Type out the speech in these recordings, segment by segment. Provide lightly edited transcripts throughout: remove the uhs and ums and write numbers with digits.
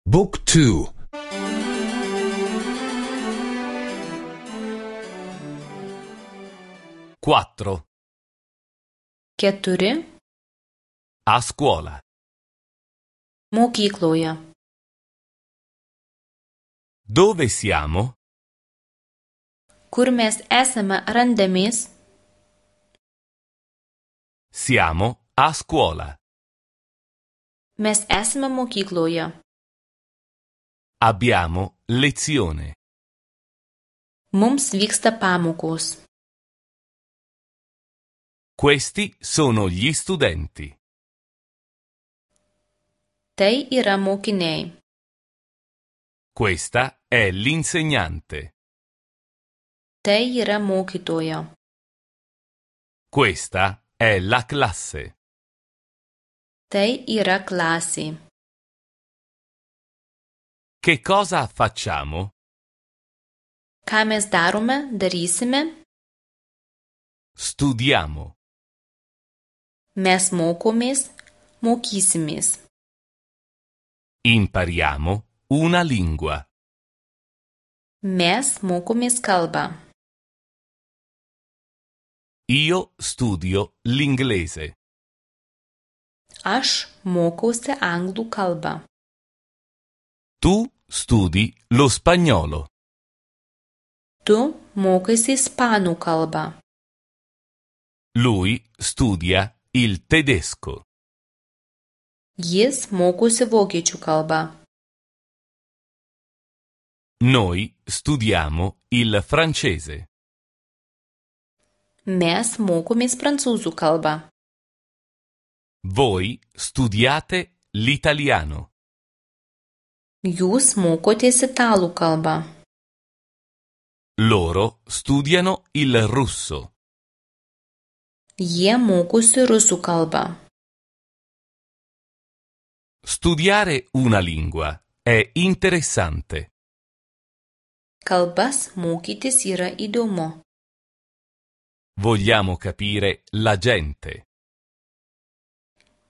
Book 2. 4. 4. A scuola. Mokykloje. Dove siamo? Kur mes esame randamės? Siamo a scuola. Mes esame mokykloje. Abbiamo lezione. Mums vyksta pamokos. Questi sono gli studenti. Tai yra mokiniai. Questa è l'insegnante. Tai yra mokytoja. Questa è la classe. Tai yra klasė. Che cosa facciamo? Ką mes darysime? Studiamo. Mes mokysimės. Impariamo una lingua. Mes mokomės kalbą. Io studio l'inglese. Aš mokausi anglų kalbą. Tu studi lo spagnolo. Tu mokaisi ispanų kalbą. Lui studia il tedesco. Jis mokosi vokiečių kalbą. Noi studiamo il francese. Mes mokomės prancūzų kalbą. Voi studiate l'italiano. Jūs mokotės italų kalbą. Loro studiano il russo. Jie mokosi rusų kalbą. Studiare una lingua è interessante. Kalbas mokytis yra įdomu. Vogliamo capire la gente.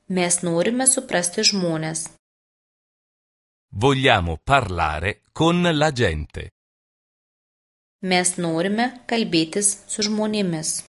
Mes norime suprasti žmones. Vogliamo parlare con la gente. Mes norime kalbėtis su žmonėmis.